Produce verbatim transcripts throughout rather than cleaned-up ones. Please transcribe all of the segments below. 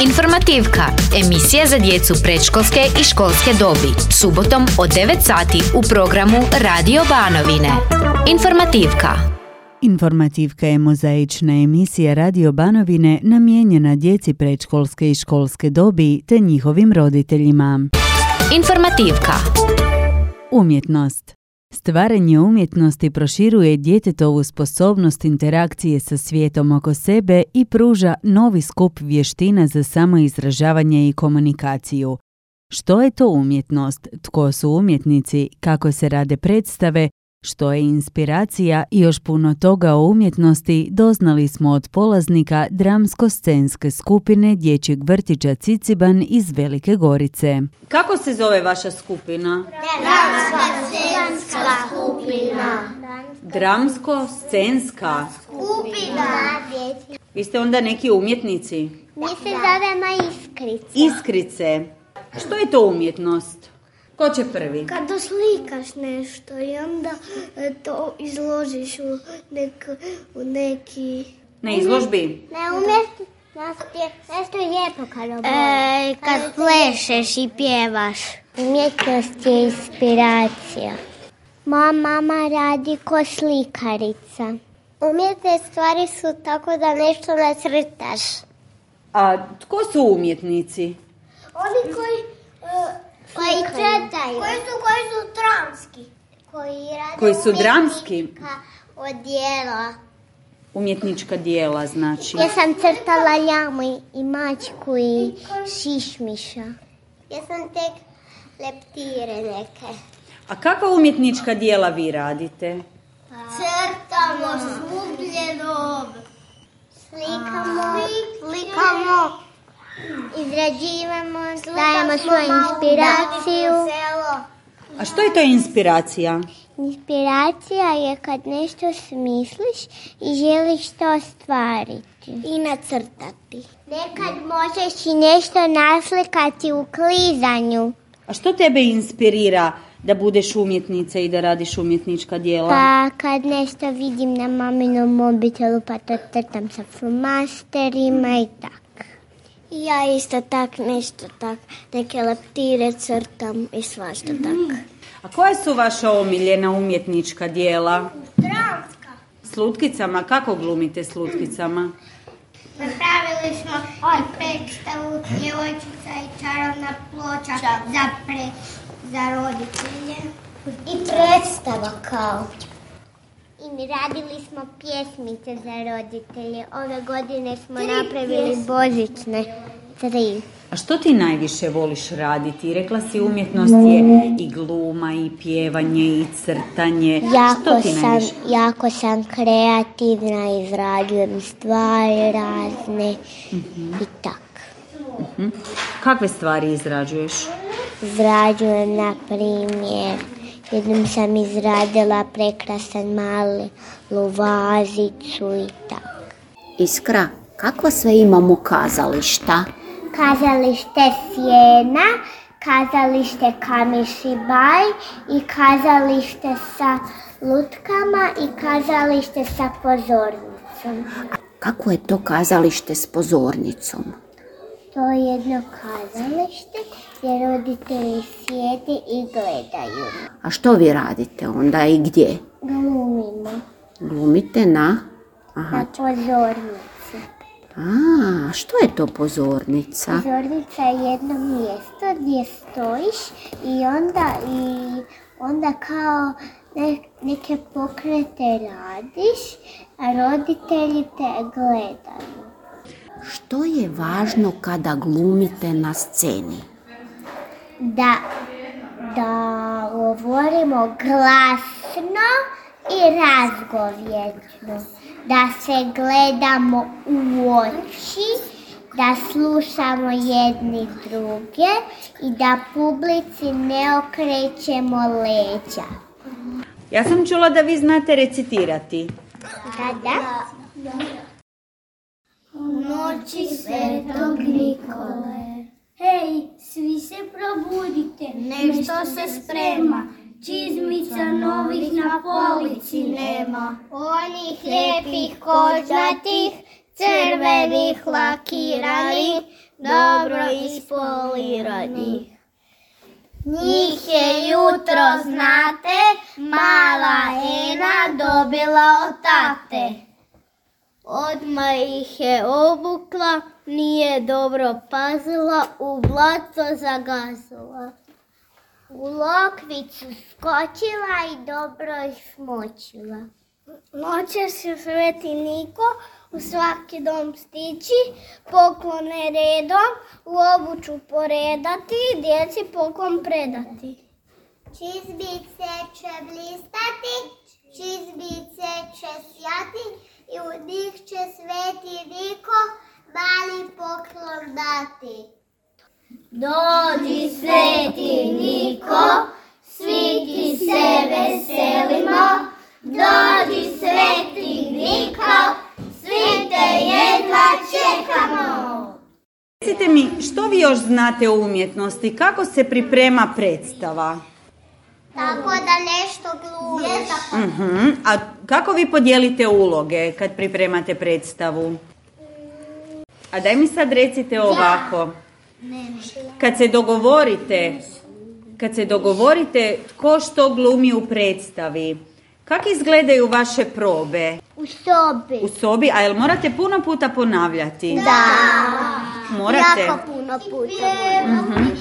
Informativka, emisija za djecu predškolske i školske dobi, subotom od devet sati u programu Radio Banovine. Informativka. Informativka je mozaična emisija Radio Banovine namijenjena djeci predškolske i školske dobi te njihovim roditeljima. Informativka. Umjetnost. Stvaranje umjetnosti proširuje djetetovu sposobnost interakcije sa svijetom oko sebe i pruža novi skup vještina za samoizražavanje i komunikaciju. Što je to umjetnost? Tko su umjetnici? Kako se rade predstave? Što je inspiracija i još puno toga o umjetnosti doznali smo od polaznika dramsko-scenske skupine dječjeg vrtića Ciciban iz Velike Gorice. Kako se zove vaša skupina? Dramsko-scenska skupina. Dramsko-scenska Skupina. Vi ste onda neki umjetnici? Mi se zovemo Iskrice. Iskrice. Što je to umjetnost? Ko će prvi? Kad doslikaš nešto i onda e, to izložiš u, nek, u neki... Na izložbi? Ne umjetnost je nešto lijepo kad oboliš. E, kad plešeš i pjevaš. Umjetnost je inspiracija. Moja mama radi ko slikarica. Umjetne stvari su tako da nešto nacrtaš. A tko su umjetnici? Oni koji... E, Koji crtaju. Koji su, koji su dramski. Koji rade Koji su dramski? umjetnička odjela. Umjetnička dijela, znači. Ja sam crtala ljamu i mačku i šišmiša. Ja sam tek leptire neke. A kakva umjetnička dijela vi radite? Crtamo slubljeno. Slikamo, slikamo. Izrađivamo, dajemo svoju inspiraciju. A što je to inspiracija? Inspiracija je kad nešto smisliš i želiš to ostvariti. I nacrtati. Nekad možeš i nešto naslikati u klizanju. A što tebe inspirira da budeš umjetnica i da radiš umjetnička dijela? Pa kad nešto vidim na maminom mobitelu pa to crtam sa flomasterima i tako. Ja isto tak nešto tak, neke leptire crtam i svašta tak. A koja su vaša omiljena umjetnička dijela? Dramska. S lutkicama? Kako glumite s lutkicama? Napravili smo i predstavu Djevojčica i čarovna ploča za, pre, za roditelje. I predstava kao. I mi radili smo pjesmice za roditelje. Ove godine smo tri napravili pjesme. Božićne. Tri. A što ti najviše voliš raditi? Rekla si umjetnost je i gluma, i pjevanje, i crtanje. Jako, što ti sam, najviše? jako sam kreativna, izrađujem stvari razne uh-huh. i tak. Uh-huh. Kakve stvari izrađuješ? Izrađujem, na primjer, jednom sam izradila prekrasan mali vazicu i tako. Iskra, kako sve imamo kazališta? Kazalište Sjena, kazalište Kamišibaj i kazalište sa lutkama i kazalište sa pozornicom. Kako je to kazalište s pozornicom? To je jedno kazalište gdje roditelji sjede i gledaju. A što vi radite onda i gdje? Glumimo. Glumite na? Aha. Na pozornici. A, što je to pozornica? Pozornica je jedno mjesto gdje stojiš i onda, i onda kao ne, neke pokrete radiš, a roditelji te gledaju. Što je važno kada glumite na sceni? Da, da govorimo glasno i razgovjetno. Da se gledamo u oči, da slušamo jedni druge i da publici ne okrećemo leđa. Ja sam čula da vi znate recitirati. Da, da. U noći Svetog Nikole, hej, svi se probudite, nešto se sprema. Čizmica novih na polici nema. Onih lijepih kožnatih, crvenih lakiranih, dobro ispolirani. Njih je jutro, znate, mala Ena dobila od tate. Odmah ih je obukla, nije dobro pazila, u blato zagazila. U lokvicu skočila i dobro ih smočila. Noćas će Sveti Niko u svaki dom stići, poklone redom u obuću poredati, djeci poklon predati. Čizbice će blistati, čizbice će sjati i u njih će Sveti Niko mali poklon dati. Dođi Sveti Niko, svi ti se veselimo, dođi Sveti Niko, svi te jedva čekamo. Recite mi, što vi još znate o umjetnosti? Kako se priprema predstava? Tako da nešto glumiš. Uh-huh. A kako vi podijelite uloge kad pripremate predstavu? A daj mi sad recite ovako. Kad se dogovorite, kad se dogovorite tko što glumi u predstavi, kako izgledaju vaše probe? U sobi. U sobi, a jel morate puno puta ponavljati? Da. Morate? Jako puno puta. Uh-huh.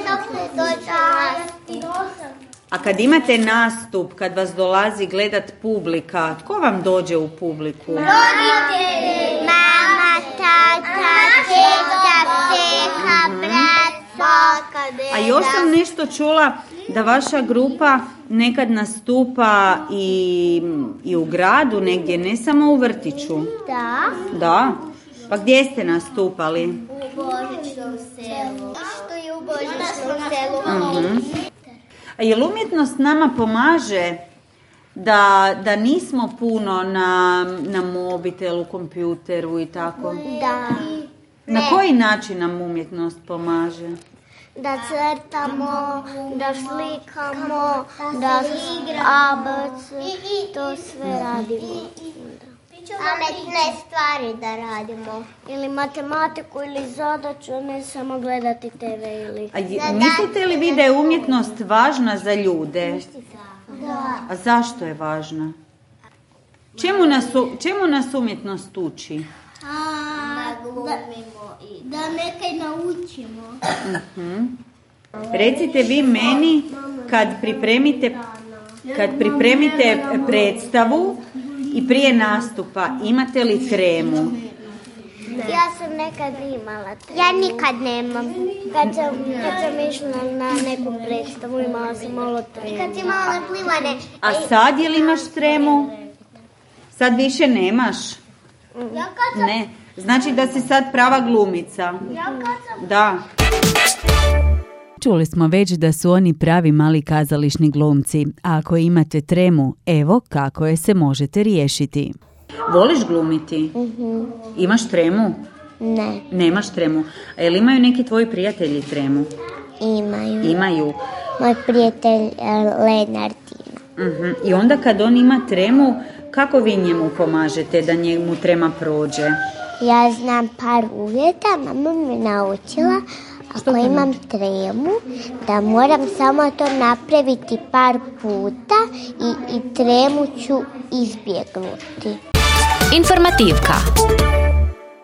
Dok ne dođe. A kad imate nastup, kad vas dolazi gledat publika, tko vam dođe u publiku? Roditelji. Mama, tata, teta, teka, brat, baka, deda. A još sam nešto čula da vaša grupa nekad nastupa i, i u gradu negdje, ne samo u vrtiću. Da. Da? Pa gdje ste nastupali? U Božićnom selu. Što je u Božićnom selu? Uh-huh. A jel umjetnost nama pomaže da, da nismo puno na, na mobitelu, kompjuteru i tako? Da. Na koji način nam umjetnost pomaže? Da crtamo, da slikamo, da A B C, to sve radimo. Pametne stvari da radimo. Ili matematiku ili zadaću, ne samo gledati te ve ili... A je, mislite li vi da je umjetnost važna za ljude? Da. A zašto je važna? Čemu nas, čemu nas umjetnost uči? A, da, da nekaj naučimo. Uh-huh. Recite vi meni, kad pripremite, kad pripremite predstavu i prije nastupa, imate li tremu? Ja sam nekad imala tremu. Ja nikad nemam. Kad sam, kad sam išla na neku predstavu, imala sam malo tremu. Kad si imala plivane. A sad je li imaš tremu? Sad više nemaš? Ja kad sam... Ne. Znači da si sad prava glumica. Ja kad sam... Da. Čuli smo već da su oni pravi mali kazališni glumci, a ako imate tremu, evo kako je se možete riješiti. Voliš glumiti? Uh-huh. Imaš tremu? Ne. Nemaš tremu. A jel imaju neki tvoji prijatelji tremu? Imaju. Imaju. Moj prijatelj Lenartina. Uh-huh. I onda kad on ima tremu, kako vi njemu pomažete da njemu trema prođe? Ja znam par uvjeta, mama me naučila. Ako imam tremu, da moram samo to napraviti par puta i, i tremu ću izbjegnuti. Informativka.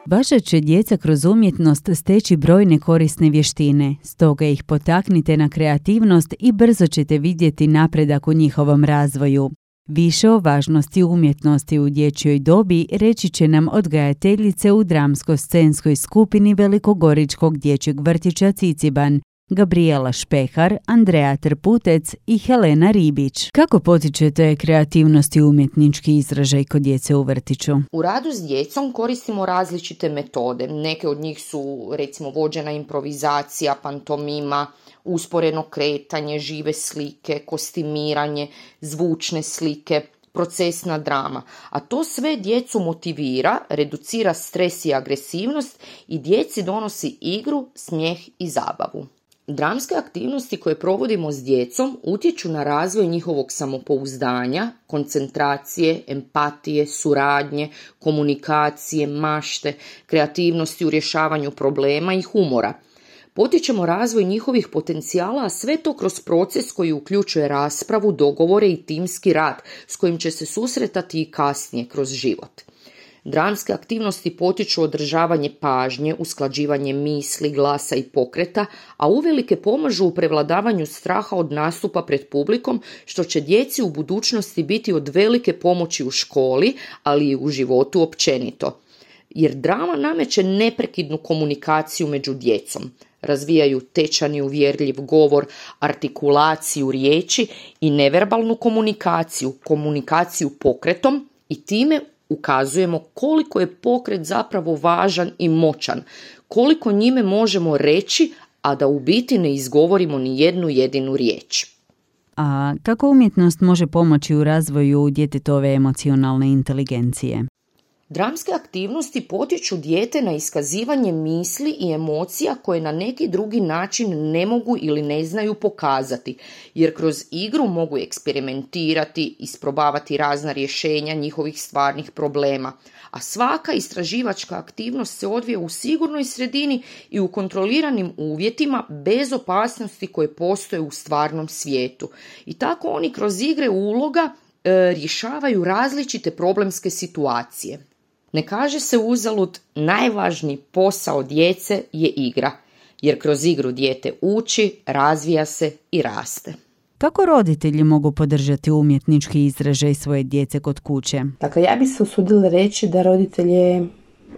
Vaša će djeca kroz umjetnost steći brojne korisne vještine, stoga ih potaknite na kreativnost i brzo ćete vidjeti napredak u njihovom razvoju. Više o važnosti umjetnosti u dječjoj dobi reći će nam odgajateljice u dramsko-scenskoj skupini Velikogoričkog dječjeg vrtića Ciciban, Gabriela Špehar, Andreja Trputec i Helena Ribić. Kako potičete kreativnost i umjetnički izražaj kod djece u vrtiću? U radu s djecom koristimo različite metode. Neke od njih su recimo vođena improvizacija, pantomima, usporeno kretanje, žive slike, kostimiranje, zvučne slike, procesna drama. A to sve djecu motivira, reducira stres i agresivnost i djeci donosi igru, smijeh i zabavu. Dramske aktivnosti koje provodimo s djecom utječu na razvoj njihovog samopouzdanja, koncentracije, empatije, suradnje, komunikacije, mašte, kreativnosti u rješavanju problema i humora. Potičemo razvoj njihovih potencijala, a sve to kroz proces koji uključuje raspravu, dogovore i timski rad s kojim će se susretati i kasnije kroz život. Dramske aktivnosti potiču održavanje pažnje, usklađivanje misli, glasa i pokreta, a uvelike pomažu u prevladavanju straha od nastupa pred publikom, što će djeci u budućnosti biti od velike pomoći u školi, ali i u životu općenito. Jer drama nameće neprekidnu komunikaciju među djecom. Razvijaju tečan i uvjerljiv govor, artikulaciju riječi i neverbalnu komunikaciju, komunikaciju pokretom i time ukazujemo koliko je pokret zapravo važan i moćan, koliko njime možemo reći, a da u biti ne izgovorimo ni jednu jedinu riječ. A kako umjetnost može pomoći u razvoju djetetove emocionalne inteligencije? Dramske aktivnosti potiču dijete na iskazivanje misli i emocija koje na neki drugi način ne mogu ili ne znaju pokazati, jer kroz igru mogu eksperimentirati, isprobavati razna rješenja njihovih stvarnih problema, a svaka istraživačka aktivnost se odvija u sigurnoj sredini i u kontroliranim uvjetima bez opasnosti koje postoje u stvarnom svijetu. I tako oni kroz igre uloga e, rješavaju različite problemske situacije. Ne kaže se uzalud, najvažniji posao djece je igra, jer kroz igru dijete uči, razvija se i raste. Kako roditelji mogu podržati umjetnički izražaj svoje djece kod kuće? Dakle, ja bih se usudila reći da roditelje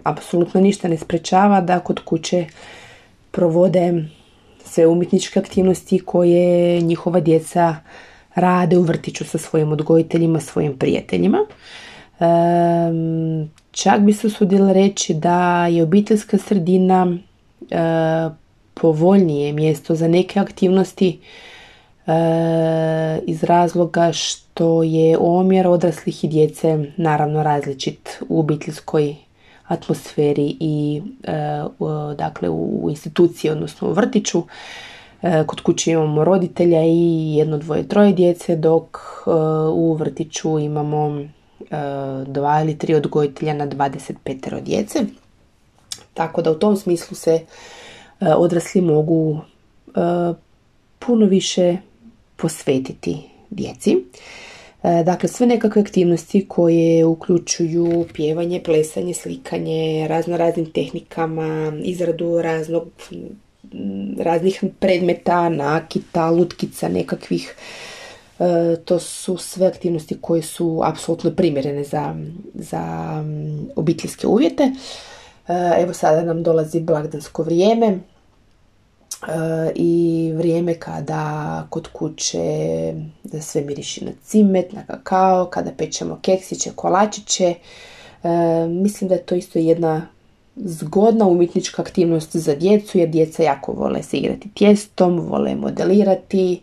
apsolutno ništa ne sprečava da kod kuće provode sve umjetničke aktivnosti koje njihova djeca rade u vrtiću sa svojim odgojiteljima, svojim prijateljima. Um, čak bi se usudila reći da je obiteljska sredina uh, povoljnije mjesto za neke aktivnosti uh, iz razloga što je omjer odraslih i djece naravno različit u obiteljskoj atmosferi i uh, u, dakle u instituciji, odnosno u vrtiću. Uh, kod kuće imamo roditelja i jedno, dvoje, troje djece, dok uh, u vrtiću imamo dva ili tri odgojitelja na dvadeset pet djece. Tako da u tom smislu se odrasli mogu puno više posvetiti djeci. Dakle, sve nekakve aktivnosti koje uključuju pjevanje, plesanje, slikanje, razno raznim tehnikama, izradu raznog, raznih predmeta, nakita, lutkica, nekakvih. E, to su sve aktivnosti koje su apsolutno primjerene za, za um, obiteljske uvjete. E, evo sada nam dolazi blagdansko vrijeme e, i vrijeme kada kod kuće da sve miriši na cimet, na kakao, kada pečemo keksiće, kolačiće. E, mislim da je to isto jedna zgodna umjetnička aktivnost za djecu, jer djeca jako vole se igrati tijestom, vole modelirati,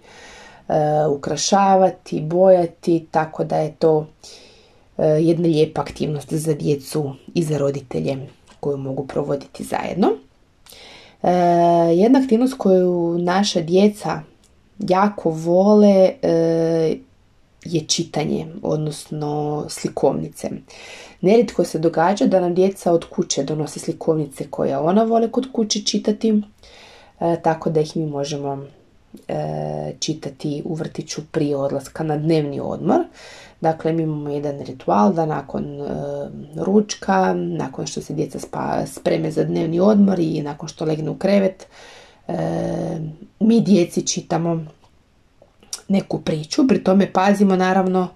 Uh, ukrašavati, bojati, tako da je to uh, jedna lijepa aktivnost za djecu i za roditelje koju mogu provoditi zajedno. Uh, jedna aktivnost koju naša djeca jako vole uh, je čitanje, odnosno slikovnice. Nerijetko se događa da nam djeca od kuće donose slikovnice koje ona vole kod kuće čitati, uh, tako da ih mi možemo čitati u vrtiću prije odlaska na dnevni odmor. Dakle, mi imamo jedan ritual da nakon e, ručka, nakon što se djeca spa, spreme za dnevni odmor i nakon što legne u krevet, e, mi djeci čitamo neku priču. Pri tome pazimo naravno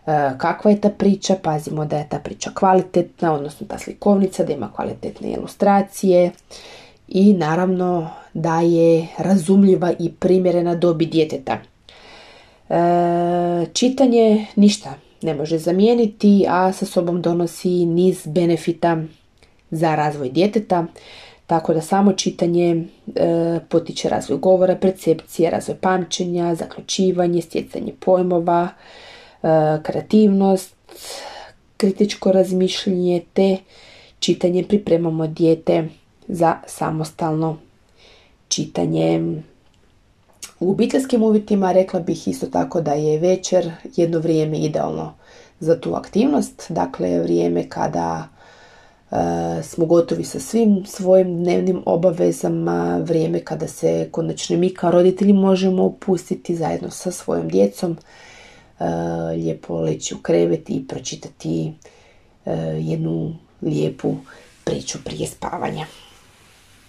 e, kakva je ta priča, pazimo da je ta priča kvalitetna, odnosno ta slikovnica, da ima kvalitetne ilustracije i naravno da je razumljiva i primjerena dobi djeteta. E, čitanje ništa ne može zamijeniti, a sa sobom donosi niz benefita za razvoj djeteta, tako da samo čitanje e, potiče razvoj govora, percepcije, razvoj pamćenja, zaključivanje, stjecanje pojmova, e, kreativnost, kritičko razmišljanje, te čitanje pripremamo dijete za samostalno čitanje U obiteljskim uvjetima rekla bih isto tako da je večer jedno vrijeme idealno za tu aktivnost, dakle vrijeme kada e, smo gotovi sa svim svojim dnevnim obavezama, vrijeme kada se konačno mi kao roditelji možemo opustiti zajedno sa svojom djecom, e, lijepo leći u krevet i pročitati e, jednu lijepu priču prije spavanja.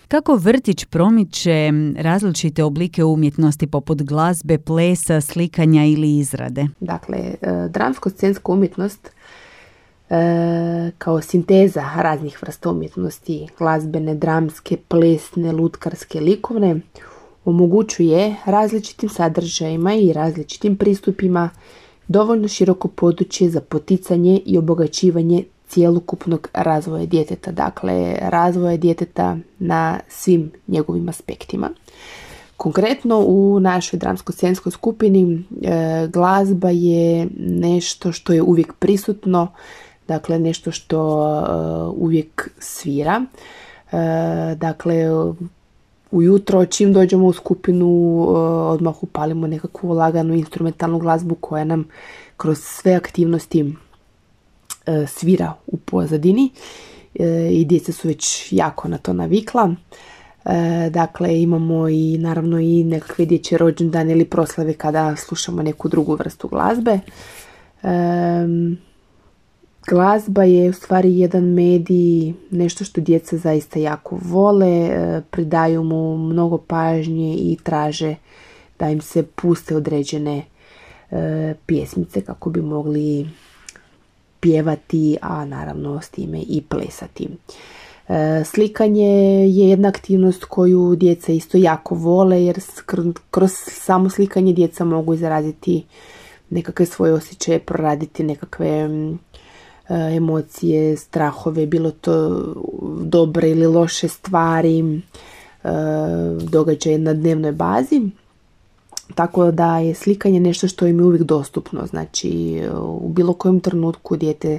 Kako vrtić promiče različite oblike umjetnosti poput glazbe, plesa, slikanja ili izrade? Dakle, dramsko-scenska umjetnost kao sinteza raznih vrsta umjetnosti, glazbene, dramske, plesne, lutkarske, likovne, omogućuje različitim sadržajima i različitim pristupima dovoljno široko područje za poticanje i obogaćivanje cjelokupnog razvoja djeteta, dakle razvoja djeteta na svim njegovim aspektima. Konkretno u našoj dramsko-scenskoj skupini e, glazba je nešto što je uvijek prisutno, dakle nešto što e, uvijek svira. E, dakle, ujutro čim dođemo u skupinu e, odmah upalimo nekakvu laganu instrumentalnu glazbu koja nam kroz sve aktivnosti svira u pozadini i djeca su već jako na to navikla. Dakle, imamo i naravno i nekakve dječje rođendane ili proslave kada slušamo neku drugu vrstu glazbe. Glazba je u stvari jedan medij, nešto što djeca zaista jako vole, pridaju mu mnogo pažnje i traže da im se puste određene pjesmice kako bi mogli pjevati, a naravno s time i plesati. E, slikanje je jedna aktivnost koju djeca isto jako vole, jer kroz samo slikanje djeca mogu izraziti nekakve svoje osjećaje, proraditi nekakve e, emocije, strahove, bilo to dobre ili loše stvari, e, događaje na dnevnoj bazi. Tako da je slikanje nešto što im je uvijek dostupno. Znači, u bilo kojem trenutku dijete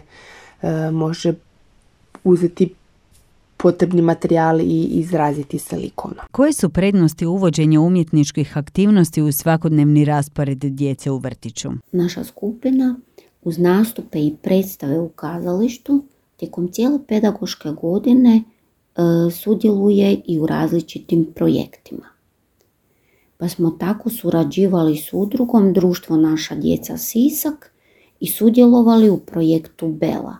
e, može uzeti potrebni materijal i izraziti se likovno. Koje su prednosti uvođenja umjetničkih aktivnosti u svakodnevni raspored djece u vrtiću? Naša skupina uz nastupe i predstave u kazalištu tijekom cijele pedagoške godine e, sudjeluje i u različitim projektima. Pa smo tako surađivali s udrugom Društvo Naša djeca Sisak i sudjelovali u projektu Bela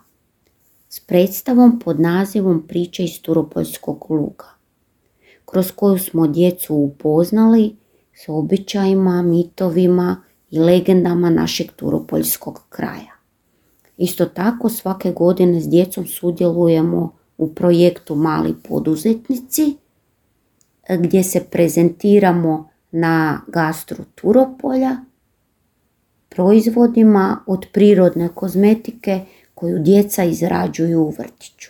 s predstavom pod nazivom Priče iz Turopoljskog luga, kroz koju smo djecu upoznali s običajima, mitovima i legendama našeg turopoljskog kraja. Isto tako svake godine s djecom sudjelujemo u projektu Mali poduzetnici gdje se prezentiramo na gastru Turopolja, proizvodima od prirodne kozmetike koju djeca izrađuju u vrtiću.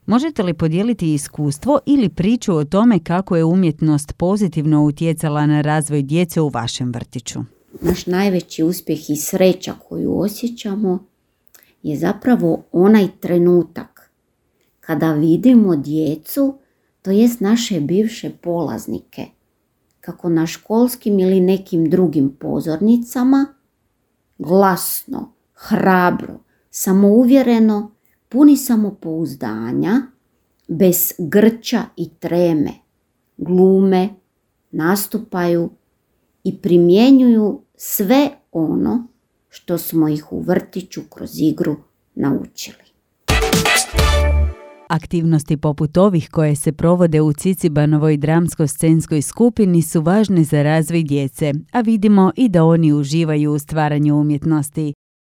Možete li podijeliti iskustvo ili priču o tome kako je umjetnost pozitivno utjecala na razvoj djece u vašem vrtiću? Naš najveći uspjeh i sreća koju osjećamo je zapravo onaj trenutak kada vidimo djecu, to jest naše bivše polaznike, kako na školskim ili nekim drugim pozornicama, glasno, hrabro, samouvjereno, puni samopouzdanja, bez grča i treme, glume, nastupaju i primjenjuju sve ono što smo ih u vrtiću kroz igru naučili. Aktivnosti poput ovih koje se provode u Cicibanovoj dramsko-scenskoj skupini su važne za razvoj djece, a vidimo i da oni uživaju u stvaranju umjetnosti.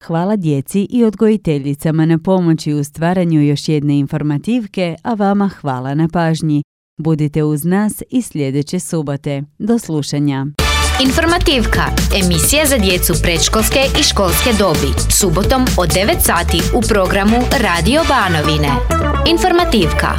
Hvala djeci i odgojiteljicama na pomoći u stvaranju još jedne informativke, a vama hvala na pažnji. Budite uz nas i sljedeće subote. Do slušanja. Informativka, emisija za djecu predškolske i školske dobi, subotom od devet sati u programu Radio Banovine. Informativka.